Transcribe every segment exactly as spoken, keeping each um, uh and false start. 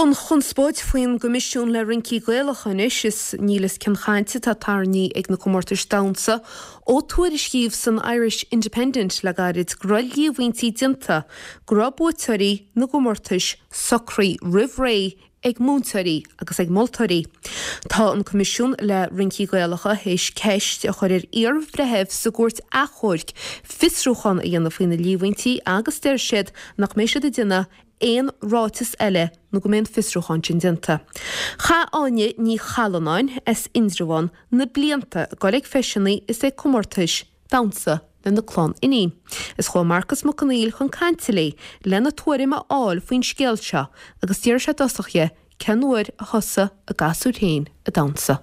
An chonspóid faoin gCoimisiún le Rincí Gaelacha anois is níl fhios cén chaint atá tarraingthe ag na comórtais damhsa ó tuairiscíodh san Irish Independent le gairid go raibh líomhaintí déanta go raibh buaiteoirí na gcomórtais socraithe roimh ré ag múinteoirí agus ag moltóirí. Tá an Coimisiún le Rincí Gaelacha théis ceist a chur ar iarbhreitheamh sa gcúirt achomhairc fiosrúchán a dhéanamh faoi na líomhaintí agus deir siad nach mbeidh siad ag déanamh aon ráiteas eile nó go mbeidh an fiosrúchán sin déanta. Chaith Áine Ní Challanáin as Indreabhán na blianta ag dul ag feiseanna is ag comórtais damhsa lena clann iníon. Is chuaigh Marcas Mac Conghail chun cainte léi lena tuairim a fháil faoin scéal seo agus d'iarr sé i dtosach di cén uair a thosaigh a gasúir féin ag damhsa.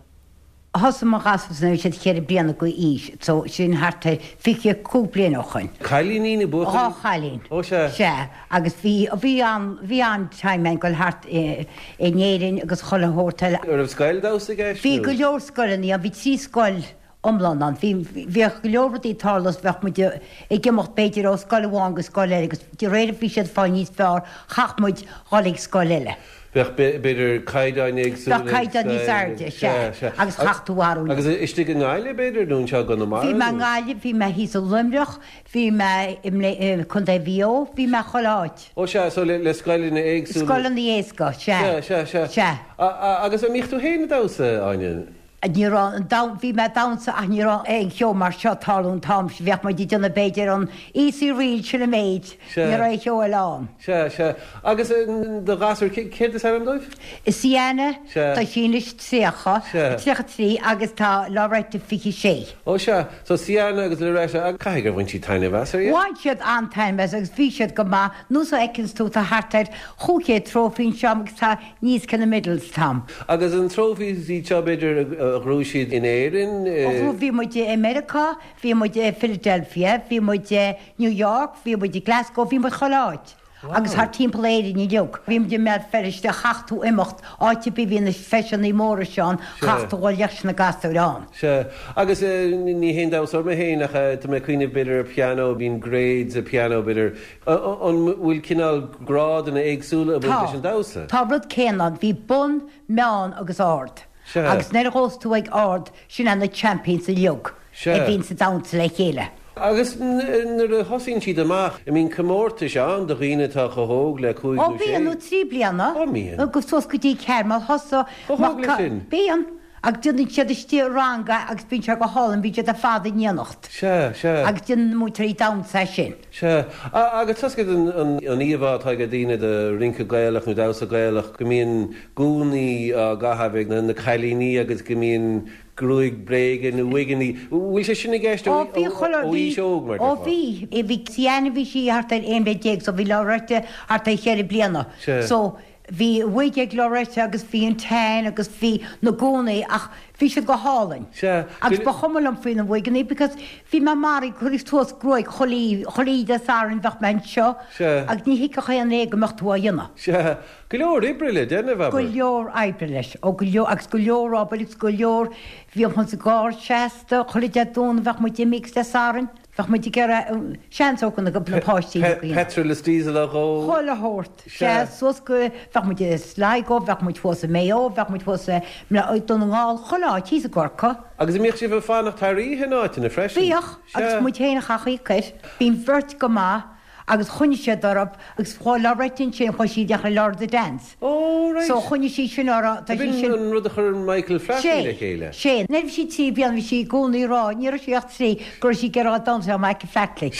Thosaigh mo ghasúir nuair a bhí siad ceithre bliana d'aois, so sin thart ar fiche cúig bliana ó shoin. Cailíní nó Dhá buachaillí? chailín. Ó sea. Sea, agus bhí bhí an bhí an time ag dul thart in Éirinn agus chuile shórt eile. An raibh scoil damhsa i gceist Bhí nó? go leor scoileanna, bhí trí scoil iomlán ann. Bhí bhíodh go leor rudaí ag tarlú is bheadh muid ag imeacht b'fhéidir ó scoil amháin go scoil eile agus de réir bhí siad fáil níos fearr chaith muid dhul ag scoil eile. Bheadh b'fhéidir caighdeán éagsúil Bheadh caighdeán níos airde, sea, sea. agus chaith tú athrú. Agus istigh i nGaillimh b'fhéidir nó anseo i gConamara? Bhí mé nó? nGaillimh, bhí mé thíos i Luimneach, bhí mé i mBle- Contae Mhaigh Eo, bhí mé chuile áit. Ó sea, so le, le scoileanna éagsúla. Scoileanna éasca, sea. Sea, sea, sea. Sea. A, a, agus an mbíodh tú féin ag damhsa, Áine? Ní raibh an dam- bhí mé damhsa ach ní raibh aon cheo mar seo tarlú an t-am sin bheadh muid ag déanamh b'fhéidir an easy reel sin an méid, Sea. ní raibh aon cheo eile ann. Sea, sea. Agus eh, do ghasúir, céard is ainm dóibh? Sienna, Sea. tá sí anois tríocha, Sea. tríocha trí agus tá Loretta fiche sé. Ó sea, so Sienna agus Loretta, ag caithfidh gur bhain siad taitneamh as ar Bhain siad an-taitneamh as agus bhí siad go maith, nó so fheiceanns tú tá thart ar chúig chéad trophy anseo agus tá níos cionn na medals tam. Agus an trophies iad seo b'fhéidir a ghnóthaigh siad in Éirinn? Ó bhí muid i America, bhí muid i Philadelphia, bhí muid i New York, bhí muid i Glasgow, bhí muid chuile áit. Agus thar timpeall Éirinn uilig. Bhí muid i mBéal Feirste chaith tú imeacht áit bí bhí na feiseanna móra seo chaith tú leis na gasúir ann. Sea, agus eh, ní haon damhsóir mé féin ach eh, tá mé cuimhneamh b'fhéidir ar piano, bíonn grades a piano b'fhéidir. An bhfuil cineál grádanna éagsúla a bhfuil leis an damhsa? Tá rud céanna, bhí bun, meán agus ard. Sea. Agus nuair a ghabhas tú ag ard sin an na champions uilig Sea. a bhíonn sa damhsa le chéile. Agus nuair a thosaíonn siad amach, I mean comórtais ann do dhaoine atá chomh hóg le cúig Ó nó sé. bíonn nó trí bliana Ó, mbíonn. agus suas go dtí ceathair mar thosa Chomh hóg le sin? Bíonn agus déanann siad istigh ranga agus bíonn sé go hálainn bíonn siad ar fad in éineacht. Sea, sea. Agus déanann na múinteoirí damhsa sin. Sea, agus tá an, an, an íomhá atá ag daoine de rince Gaelach nó damhsa Gaelach go mbíonn gúnaí á gcaitheamh ag na, na cailíní agus go mbíonn gruaig bréige nó wiganna. Bhfuil sé sin i gceist Ó bhí chuile ó aois óg mar Ó bhí bhí Sienna bhí sí thart ar aon bhliain déag so bhí Loretta thart ar cheithre bliana. Sea. So bhí wig ag Loretta agus bhí an tan agus bhí na gúnaí ach bhí siad go hálainn. Sea. Agus ba chuma liom faoi na wiganna because bhí mé mar ag cur suas gruaig chuile chuile Dé Sathairn bheadh mé anseo Sea. agus ní thuigfeadh aon duine go mbeadh tú á dhéanamh. Sea, go leor oibre le déanamh Go leor oibre leis ó go leor agus go leor obair agus go leor bhí an sa gcarr seasta chuile Dé Domhnaigh bheadh muid imithe Dé Sathairn bheadh muid ag seans ó na na páistí Petrol is diesel a dhó. Chuile shórt Sea. sé suas go bheadh muid i Sligo, bheadh muid thuas i Mayo, bheadh muid thuas i Dún na nGall chuile áit thíos i gCorcaigh. Agus an mbíodh sibh ag fanacht thar oíche in áiteanna freisin. Bhíodh agus muid féin a chachaí cuir. Bhí'n bheirt go maith agus choinnigh siad orthu agus chuaigh Loretta ansin chuaigh sí isteach le Lord the Dance. Oh, right. So choinnigh sí sin orthu tá sí B'in sin an rud a chuir Michael Flatley le chéile. Sé, nuair bhí sí trí bliana bhí sí i gcónaí ag rá, ní raibh sí ach trí gur sí ag rá damhsa le Michael Flatley.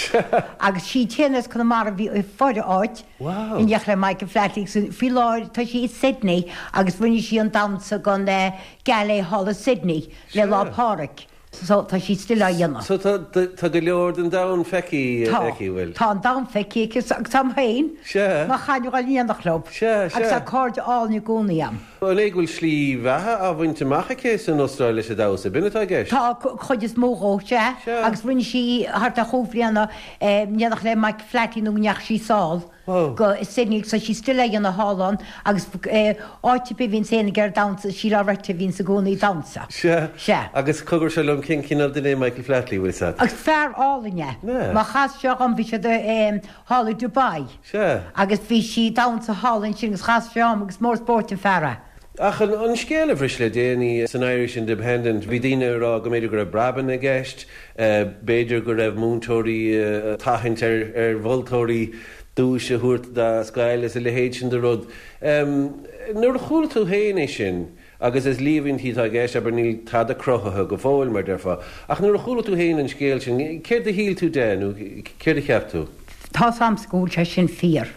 Agus sí téannas Conamara bhí i fáir áit Wow. in éineacht le Michael Flatley so faoi láthair tá sí i Sydney agus rinne sí an damhsa don uh, Gala Hall i Sydney le Lá Pádraig. So tá sí still á dhéanamh. So tá tá go leor den domhan feicthe Tá aici bhfuil. Tá an domhan feicthe aici agus táim féin Sea. má chaithfidh an éineacht leo. Sea, Agus sea. tá cairde álainn i gcónaí agam. An é go bhfuil slí bheatha á bhaint amach aici san Astráil leis an damhsa, b'in atá i gceist. Tá chuid is mó dhó sé Sea. agus rinne sí thart ar chúig bliana in éineacht le Mike Flatley nó ndeachaigh sí sall. Go Sydney so sí still ag an thall ann agus áit ar bith a bhíonns éinne ag damhsa sí Loretta a bhíonns i gcónaí ag damhsa. Sea. Sea. Agus cogar seo liom cén cineál duine é Michael Flatley, bhfuil fhios agat? Agus fear álainn é. Yeah. Má chas sé dhom bhí siad thall i Dubai. Sea. Agus bhí sí damhsa thall ansin agus chas sé dhom agus mór spóirt an fear é. Ach an, an scéal a bhris le déanaí san Irish Independent, bhí daoine ag rá go mb'fhéidir go raibh braban i gceist, b'fhéidir go raibh múinteoirí ag tathant ar, ar mholtóirí duais a thabhairt dá scoil is a leithéid sin de rud. Nuair a chuala tú féin é sin, agus is líomhaintí atá i gceist, abair níl tada cruthaithe go fóill mar déarfá, ach nuair a chuala tú féin an scéal sin, céard a shíl tú de nó céard a cheap tú? Tá's a'msa go bhfuil sé sin fíor.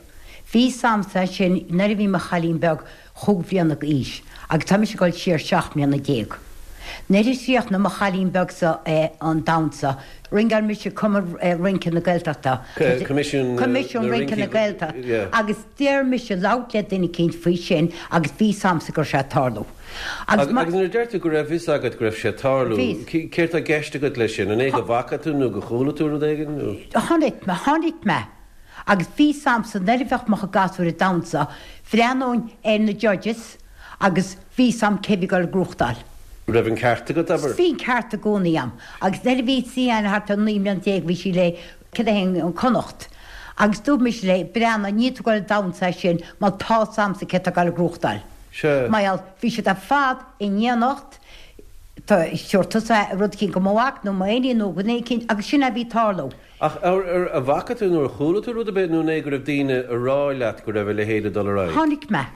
Bhí's a'msa sin nuair a bhí mo chailín beag chúig bhliana d'aois agus tá mise ag dul siar seacht mbliana déag. Nuair a chríochnaigh mo chailín beagsa an damhsa, ringeáil mise Cumann Rince na Gaeltachta, Coimisiún Coimisiún Rince na Gaeltachta, agus d'iarr mise labhairt le duine eicínt faoi sin agus bhí's a'msa go raibh sé ag tarlú. Agus nuair a deir tú go raibh fhios agat go raibh sé ag tarlú, céard tá i gceist agat leis sin? An é go bhfaca tú nó go chuala tú rud éigin nó? Chonaic mé, chonaic mé. Agus bhí's a'msa nuair a bheadh mo chuid gasúir ag damhsa, bhreathnóinn ar na judges agus bhí's a'm cé bhí ag dul ag gnóthachtáil. Raibh an ceart agat, abair? Bhí an ceart i gcónaí a'm. Agus nuair a bhí Cian thart ar naoi mbliana déag bhí sí le céad a haon Connacht. Agus dúirt mise léi, breathnaigh, níl tú ag dul ag damhsa as sin mar tá's a'msa cé tá ag dul ag gnóthachtáil. Sea. Mar gheall, bhí siad ar fad in éineacht, tá sure tusa rud eicínt go mo mhac nó m'iníon nó dhuine eicínt agus sin a bhí ag tarlú. Ach ar bhfaca tú nó ar chuala tú rud ar bith nó an é go raibh daoine ag rá leat go raibh a leithéid ag dul ar aghaidh? Chonaic mé.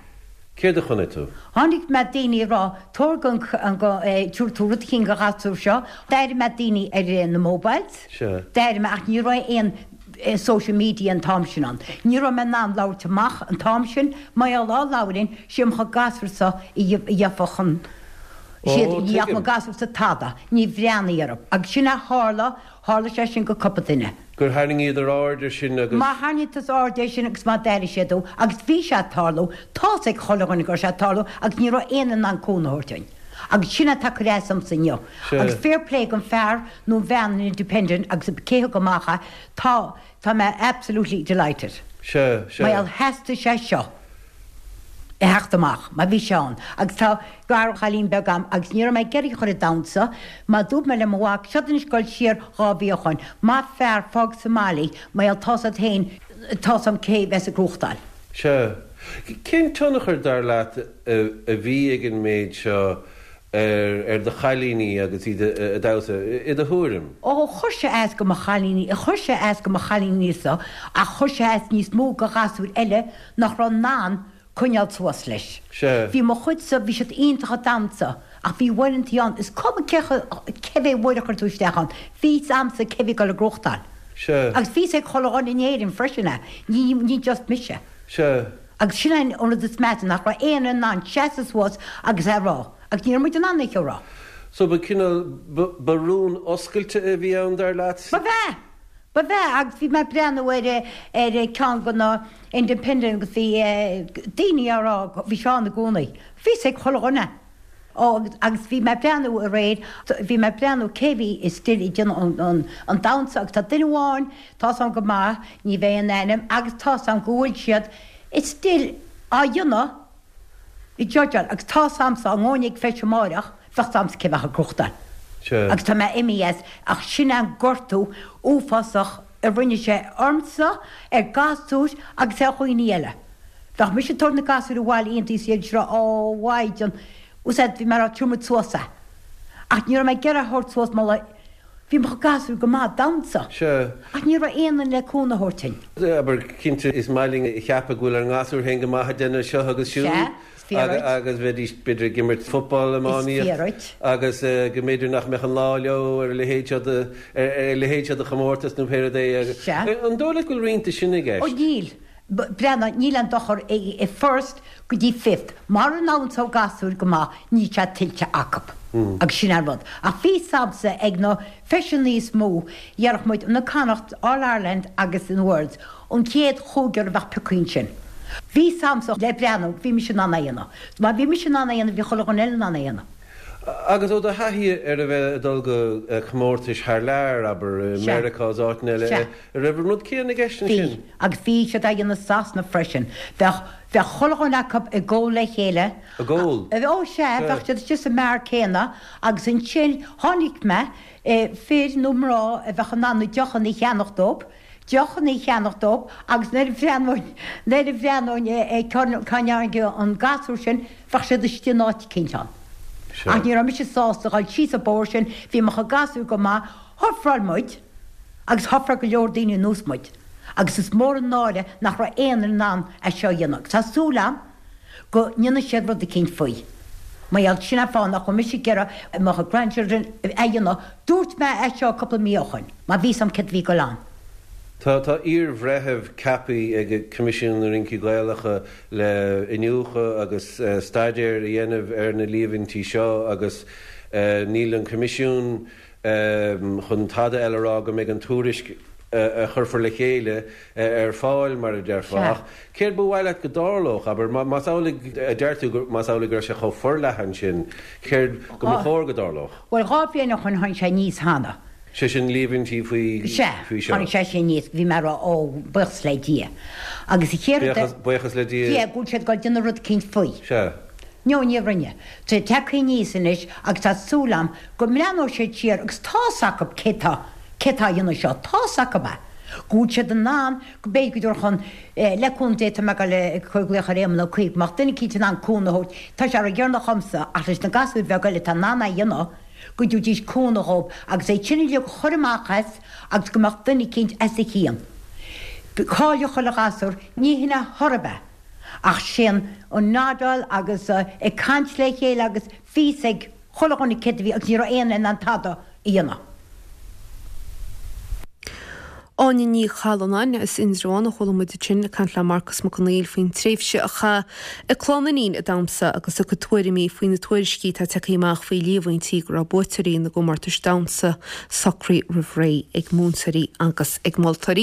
Céard a chonaic tú? Chonaic mé daoine ag rá, tabhair go an go tabhair tú rud eicínt go ghasúr seo. D'airigh mé daoine ar na mobiles. Sea. D'airigh mé ach ní raibh aon social media an t-am sin ann. Ní raibh mé in ann labhairt amach an t-am sin, mar gheall dá labhrainn, sé mo chuid gasúr sa a gheofadh an siad Ó, ní dheach tuigim. mo gasúr sa tada, ní bhreathnaigh orthu. Agus sin a tharla, tharla sé sin go cúpla duine. Gur tharraingíodar aird air sin agus. Má tharraingíodar aird air sin agus má d'airigh siad ó, agus bhí sé ag tarlú, tá's ag chuile dhuine go raibh sé ag tarlú agus ní raibh éinne in ann cúnamh a thabhairt dúinn. Agus sin atá ag cur as domsa inniu. Sea. Agus fair play don fear nó an bhean in Independent agus cé thug amach é, tá, tá mé absolutely delighted. Sea, sea. Mar gheall theastaigh sé seo a theacht amach, mar bhí sé ann. Agus tá garchailín beag agam agus ní raibh mé ag iarraidh í a chur ag damhsa, mar dúirt mé le mo mhac, seo anois dul siar dhá mhí ó shoin, más fearr fág sa mbaile í, mar gheall tá's agat féin, tá's a'm cé bheas ag gnóthachtáil. Sea. Cén tionchar, dar leat, a bhí ag an méid seo ar ar do chailíní agus iad ag damhsa, i do thuairim? Ó, chuir sé as go mo chailíní, chuir sé as go mo chailíní-sa ach chuir sé as níos mó go ghasúir eile nach raibh in ann coinneáil suas leis. Sea. Bhí mo chuidse, bhí siad iontach ag damhsa ach bhí uaireantaí ann, is cuma cé cé mhéad uair a chuir tú isteach ann, bhí 'fhios a'msa cé bhí ag dul ag gnóthachtáil. Sea. Agus bhí 'fhios ag chuile dhuine in Éirinn freisin é, ní ní just mise. Sea. Agus sin an rud is measa, nach raibh éinne in ann seasamh suas agus é a rá. Agus ní raibh muid in ann é a rá. So ba cineál, ba ba rún oscailte a bhí ann, dar leat? Ba bhea! Ba bhea agus bhí mé ag breathnú ar ar ceann de na Independent agus bhí daoine á rá, bhí sé ann i gcónaí. Bhí 'fhios ag chuile dhuine. Ó agus agus bhí mé ag breathnú aréir, bhí mé ag breathnú cé bhí istigh ag déanamh an an damhsa agus tá duine amháin, tá's a'm go maith, ní bheidh aon ainm, agus tá's a'm go bhfuil siad still á dhéanamh ag judgeáil agus tá's a'msa dá ngabhfainn ag feis amáireach, bheadh 's a'msa cé bheadh ag gnóthachtáil. Sea. Agus tá mé imithe as ach sin an gortú uafásach a rinne sé ormsa, ar gasúir agus ar dhaoine eile. Bheadh mise ag tabhairt na gasúir abhaile iontaoibh is iad ag rá Ó, a Mhaighdean, úsáid, bhí mé ag rá tabharfaidh muid suas é. Ach ní raibh mé ag iarraidh a thabhairt suas mar bhí mo chuid gasúir go maith ag damhsa. Sea. Ach ní raibh aon duine le cúnamh a thabhairt dúinn. Abair, cinnte, is maith linn a cheapadh go bhfuil ár ngasúir féin go maith ag déanamh seo agus siúd. Sea, is fíor dhuit. Agus bheidís, b'fhéidir, ag imirt football, iománaíocht. Is fíor dhuit. Agus go mb'fhéidir nach mbeadh an lá leo ar a leithéid seo de, ar a leithéid seo de chomórtas nó pé rud é. Agus Sea. An dóigh leat go bhfuil roinnt de sin i gceist? Ó níl. Breathnaigh, níl aon dochar i first go dtí fifth. Mara ndamhsódh gasúir go maith, níl sé tuillte acu. Agus sin an rud. Ach bhí 's a'msa ag na feiseanna is mó, dhéarfadh muid, na Connacht, All Ireland agus an Worlds, an chéad chúigear a bheadh pioctha ansin. Bhí 's a'msa le breathnú, bhí mise in ann é a dhéanamh. Má bhí mise in ann é a dhéanamh, bhí chuile dhuine eile in ann é a dhéanamh. Agus ó do thaithí ar a bheith ag dul go comórtais thar lear, abair, i Meiriceá is áiteanna eile, an raibh an rud céanna i gceist ansin? Bhí, agus bhí siad á dhéanamh i Sasana freisin. Bheadh, bheadh chuile dhuine acu ag ól le chéile. Ag ól? Ó sea, bheadh siad istigh sa mbeár céanna agus ansin chonaic mé fir nó mná a bheadh in ann na deochanna a cheannach dóibh, deochanna a cheannach dóibh agus nuair a bhreathnóinn, nuair a bhreathnóinn cá ndearna an gasúr sin, bheadh siad istigh in áit eicínt ann. Ach ní raibh mise sásta dhul síos an bóthar sin, bhí mo chuid gasúr go maith, shufráil muid agus shufráil go leor daoine ar nós muid agus is mór an náire nach raibh éinne in ann é seo a dhéanamh agus tá súil a'm go ndéanfaidh siad rud eicínt faoi. Mar gheall, sin an fáth nach bhfuil mise ag iarraidh mo chuid grandchildren a dhéanamh, dúirt mé é seo cúpla mí ó shoin, mar bhí 'fhios a'm céard a bhí ag goil ann. Tá tá iar-bhreitheamh ceaptha ag Coimisiún na Rincí Gaelacha le iniúchadh agus staidéar a dhéanamh ar na líomhaintí seo agus níl an Coimisiún chun tada eile a rá go mbeidh an tuairisc a chuirfear le chéile ar fáil, mar a déarfá. Ach céard ba mhaith leat go dtarlódh, abair, más amhlaidh a deir tú, más amhlaidh go raibh sé chomh forleathan sin, céard go mba chóir go dtarlódh? Bhuel, dhá bhliain ó shoin tháinig sé aníos cheana. Sé sin líomhaintí faoi Sea, faoi seo. tháinig sé sin aníos, bhí mé ag rá, ó, buíochas le Dia. Agus an chéad rud a. Buíochas le Dia. Dia, go bhfuil siad ag dul déanamh rud eicínt faoi. Sea. No, ní rinne. Tá sé tagtha aníos anois agus tá súil a'm go mbreathnóidh siad siar agus tá's acu cé tá, cé tá a dhéanamh seo, tá's acu é. Go bhfuil siad in ann, go b'fhéidir go dtabharfadh an, le cúnamh Dé tá mé ag dul ag cur glaoch ar Éamonn Ó Cuív, go mbeadh duine eicínt in ann cúnamh a thabhairt, tá sé ródheireanach dhomsa ach leis na gasúir bheaga eile atá in ann é a dhéanamh, go dtabharfaidís cúnamh dhób agus é sin uilig a chur amach as agus go mbeadh duine eicínt os a chionn. Cáil ar chuile ghasúr, ní hin é chor ar bith ach sé an nodáil agus ag caint le chéile agus bhí 'fhios ag chuile dhuine céard a bhí agus ní raibh éinne in ann tada a dhéanamh. Áine Ní Challanáin as Indreabhán a chuala muid ansin ag caint le Marcas Mac Conghail faoin tréimhse a chaith a clann iníon ag damhsa agus a cuid tuairimí faoi na tuairiscí atá tagtha amach faoi líomhaintí go raibh buaiteoirí na gcomórtais damhsa socraithe roimh ré ag múinteoirí agus ag moltóirí.